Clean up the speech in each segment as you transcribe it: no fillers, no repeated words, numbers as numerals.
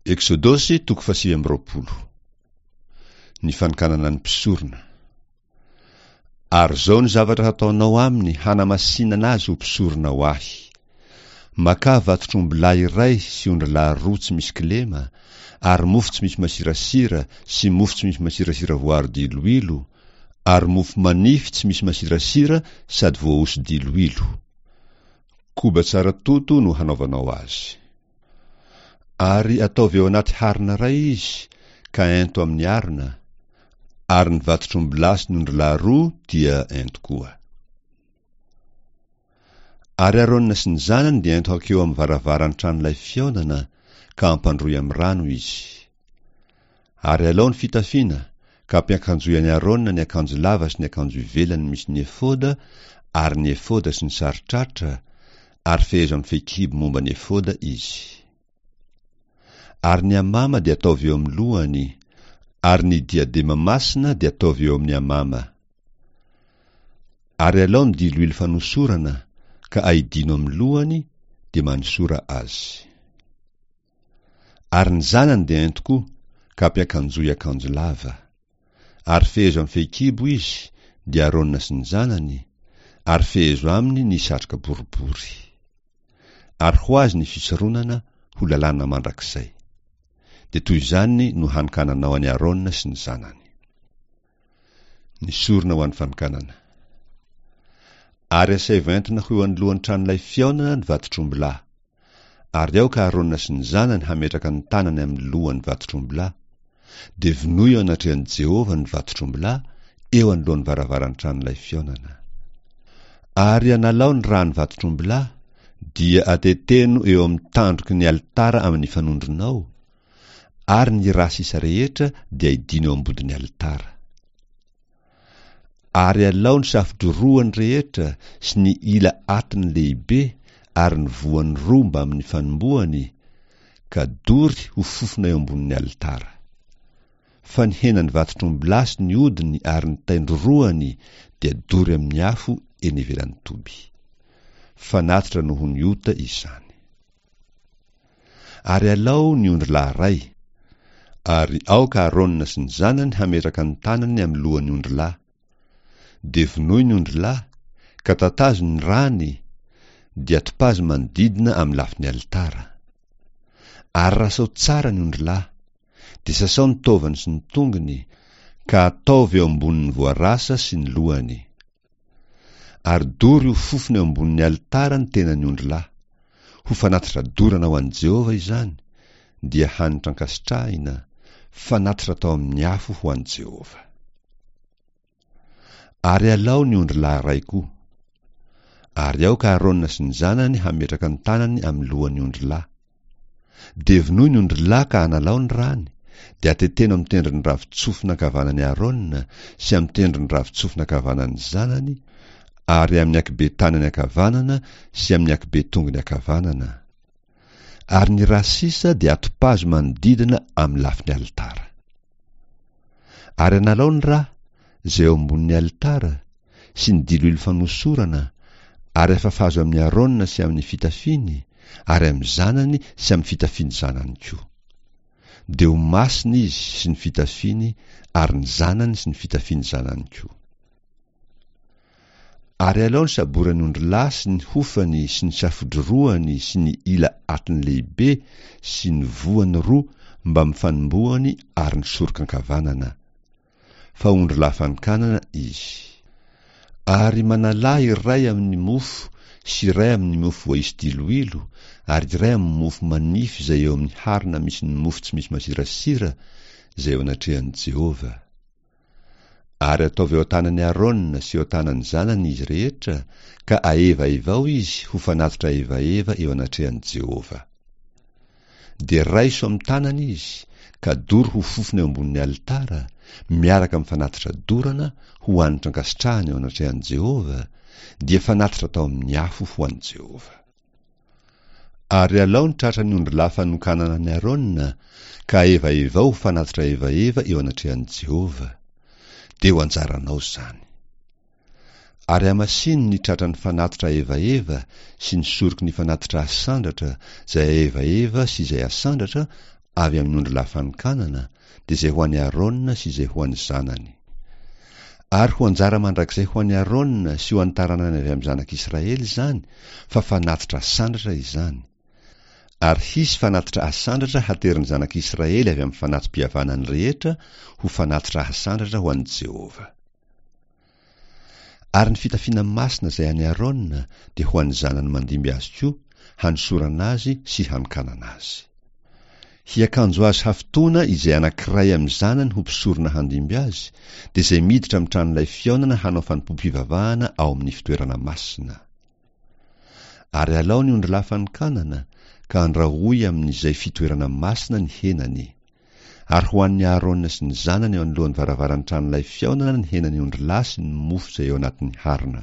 Eksodosy toko fahasivy amby 20. Ny fanokanana ny mpisorona. Ary izao ny zavatra hataonao aminy hanamasinana azy ho mpisorona ho ahy. Makà vatotr'ombilahy iray sy ondrilahy roa tsy misy kilema, ary mofo tsy misy masirasira sy mofo tsy misy masirasira voaro diloilo, ary mofo manify tsy misy masirasira sady voahoso-diloilo. Koba tsara toto no hanaovanao azy. Ary ataovy ao anaty harona iray izy, ka ento amin'ny arona, ary ny vatotr'ombilahy sy ny ondrilahy roa dia ento koa. Ary Arona sy ny zanany dia ento hankeo amin'ny varavaran'ny tranolay fihaonana, ka ampandroy amin'ny rano izy. Ary alao ny fitafiana, ka ampiakanjoy an'i Arona ny akanjo lava sy ny akanjo ivelany misy ny efoda, ary ny efoda sy ny saron-tratra, ary fehezo amin'ny fehikibo momba ny efoda izy. Ary ny amama dia ataovy eo amin'ny lohany, ary ny diadema masina dia ataovy eo amin'ny amama. Ary alao ny diloilo fanosorana, ka aidino amin'ny lohany, dia manosora azy. Ary ny zanany dia ento koa, ka ampiakanjoy akanjo lava. Ary fehezo amin'ny fehikibo izy, dia Arona sy ny zanany, ary fehezo aminy ny satroka boribory. Ary ho azy ny fisoronana ho lalàna mandrakizay. Dia toy izany no hanokananao an'i Arona sy ny zanany. Ny sorona ho an'ny fanokanana. Ary asaivo entina ho eo anoloan'ny tranolay fihaonana ny vatotr'ombilahy. Ary aoka Arona sy ny zanany hametraka ny tanany amin'ny lohan'ny vatotr'ombilahy. Dia vonoy eo anatrehan'i Jehovah ny vatotr'ombilahy, eo anoloan'ny varavaran'ny tranolay fihaonana. Ary analao ny ràn'ny vatotr'ombilahy, dia ateteno eo amin'ny tandroky ny alitara amin'ny fanondronao, ary ny rà sisa rehetra dia aidino eo ambodin'ny alitara. Ary alao ny safodrorohany rehetra sy ny ila atiny lehibe ary ny voany roa mbamin'ny fanombohany, ka dory ho fofona eo ambonin'ny alitara. Fa ny henan'ny vatotr'ombilahy sy ny hodiny ary ny tain-drorohany dia dory amin'ny afo eny ivelan'ny toby. Fanatitra noho ny ota izany. Ary alao ny ondrilahy iray, ary aoka Arona sy ny zanany hametraka ny tanany amin'ny lohan'ny ondrilahy. Dia vonoy ny ondrilahy, ka tatazo ny rany, dia topazo manodidina amin'ny lafin'ny alitara. Ary rasao tsara ny ondrilahy, dia sasao ny taovany sy ny tongony, ka ataovy eo ambonin'ny voarasa sy ny lohany. Ary dory ho fofona eo ambonin'ny alitara ny tenan'ny ondrilahy. Ho fanatitra dorana ho an'i Jehovah izany, dia hanitra ankasitrahina, fanatitra atao amin'ny afo ho an'i Jehovah. Ary alao ny ondrilahy iray koa. Ary aoka Arona sy ny zanany hametraka ny tanany amin'ny lohan'ny ondrilahy. Dia vonoy ny ondrilahy ka analao ny rany, dia ateteno amin'ny tendron'ny ravin-tsofina ankavanan'i Arona sy amin'ny tendron'ny ravin-tsofina ankavanan'ny zanany, ary amin'ny ankibe tanany ankavanana sy amin'ny ankibe tongony ankavanana. Ary ny ra sisa dia atopazo manodidina amin'ny lafiny alitara. Ary analao ny ra, izay eo ambonin'ny alitara, sy ny diloilo fanosorana, ary afafazo amin'i Arona sy amin'ny fitafiany, ary amin'ny zanany sy amin'ny fitafian'ny zanany koa. Dia ho masina izy sy ny fitafiany ary ny zanany sy ny fitafian'ny zanany koa. Ary alao ny saboran'ny ondrilahy sy ny hofany sy ny safodrorohany sy ny ila atiny lehibe sy ny voany roa mbamin'ny fanombohany ary ny soroka ankavanana. Fa ondrilahy fanokanana izy. Ary manalà iray amin'ny mofo sy iray amin'ny mofo voaisy diloilo ary iray amin'ny mofo manify izay eo amin'ny harona misy ny mofo tsy misy masirasira izay eo anatrehan'i Jehovah. Ary ataovy eo an-tanan'i Arona sy eo an-tanan'ny zanany izy rehetra, ka ahevaevao izy ho fanatitra ahevaheva eo anatrehan'i Jehovah. Dia raiso amin'ny tanany izy, ka dory ho fofona eo ambonin'ny alitara, miaraka amin'ny fanatitra dorana ho hanitra ankasitrahana eo anatrehan'i Jehovah, dia fanatitra atao amin'ny afo ho an'i Jehovah. Ary alao ny tratran'ny ondrilahy fanokanana an'i Arona, ka ahevaevao ho fanatitra ahevaheva eo anatrehan'i Jehovah. Dia ho anjaranao izany. Ary hamasino ny tratran'ny fanatitra ahevaheva sy ny soroky ny fanatitra asandratra, izay ahevaheva sy izay asandratra, avy amin'ny ondrilahy fanokanana, dia izay ho an'i Arona sy izay ho an'ny zanany. Ary ho anjara mandrakizay ho an'i Arona sy ho an'ny taranany avy amin'ny zanak'Israely izany, fa fanatitra asandratra izany. Ary hisy fanatitra asandratra haterin'ny zanak'Israely avy amin'ny fanati-pihavanany rehetra ho fanatitra asandratra ho an'i Jehovah. Ary ny fitafiana masina izay an'i Arona dia ho an'ny zanany mandimby azy koa, hanosorana azy sy hanokanana azy. Hiakanjo azy hafitoana izay anankiray amin'ny zanany ho mpisorona handimby azy, dia izay miditra amin'ny tranolay fihaonana hanao fanompoam-pivavahana ao amin'ny fitoerana masina. Ary alao ny ondrilahy fanokanana, ka andrahoy amin'izay fitoerana masina ny henany. Ary hohanin'i Aharôna sy ny zanany eo anoloan'ny varavaran'ny tranolay fihaonana ny henan'ny ondrilahy sy ny mofo izay eo anatin'ny harona.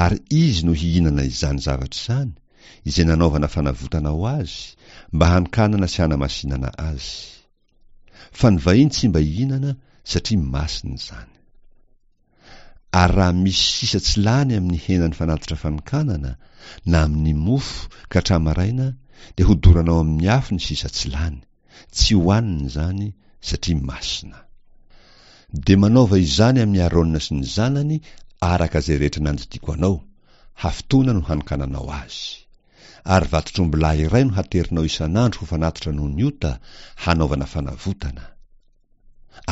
Ary izy no hihinana izany zavatra izany, izay nanaovana fanavotana ho azy, mba hanokanana sy hanamasinana azy. Fa ny vahiny tsy mba hihinana, satria masina izany. Ary raha misy sisa tsy lany amin'ny henan'ny fanatitra fanokanana, na amin'ny mofo, ka hatramin'ny maraina, dia hodoranao amin'ny afo ny sisa tsy lany. Tsy hohanina izany, satria masina. Dia manaova izany amin'i Arona sy ny zanany araka izay rehetra nandidiako anao, hafitoana no hanokananao azy. Ary vatotr'ombilahy iray no haterinao isan'andro ho fanatitra noho ny ota, hanaovana fanavotana.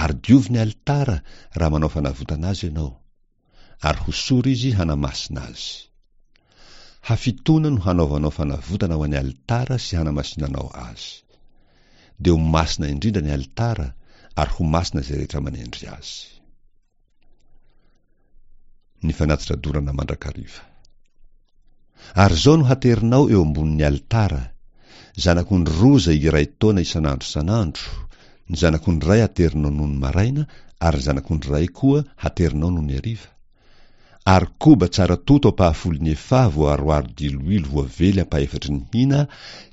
Ary diovy ny alitara raha manao fanavotana azy ianao, ary hosory izy hanamasina azy. Hafitoana no hanaovanao fanavotana ho an'ny alitara sy hanamasinanao azy. Dia ho masina indrindra ny alitara, ary ho masina izay rehetra manendry azy. Ny fanatitra dorana mandrakariva. Ary izao no haterinao eo ambonin'ny alitara, zanak'ondry roa izay iray taona isan'andro isan'andro, ny zanak'ondry iray haterinao nony maraina ary ny zanak'ondry iray koa haterinao nony hariva, ary koba tsara toto ampahafolon'ny efaha voaharoharo diloilo voavely ampahefatry ny hina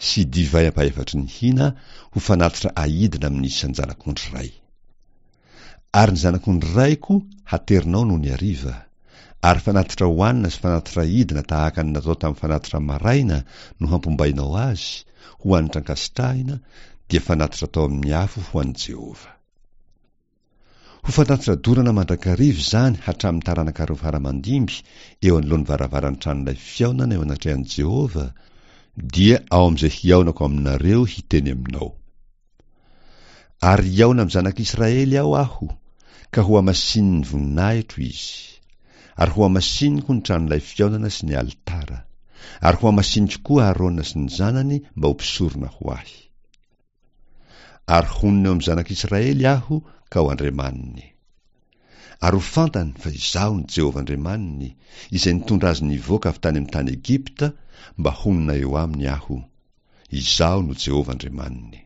sy divay ampahefatry ny hina ho fanatitra aidina amin'ny isan-janak'ondry iray. Ary ny zanak'ondry iray koa haterinao nony hariva, ary fanatitra hohanina sy fanatitra hidina tahaka ny natao tamin'ny fanatitra maraina no hampombainao azy, ho hanitra ankasitrahina, dia fanatitra atao amin'ny afo ho an'i Jehovah. Ho fanatitra dorana mandrakariva izany hatramin'ny taranakareo fara aman-dimby eo anoloan'ny varavaran'ny tranolay fihaonana eo anatrehan'i Jehovah, dia ao amin'izay hihaonako aminareo hiteny aminao. Ary hihaona amin'ny zanak'Israely ao Aho, ka hohamasinin'ny voninahitro izy. Ary hohamasiniko ny tranolay fihaonana sy ny alitara. Ary hohamasiniko koa Arona sy ny zanany mba ho mpisorona ho Ahy. Ary honina eo amin'ny zanak'Israely Aho ka ho Andriamaniny. Ary ho fantany fa Izaho no Jehovah Andriamaniny, izay nitondra azy nivoaka avy tany amin'ny tany Egypta mba honina eo aminy Aho. Izaho no Jehovah Andriamaniny.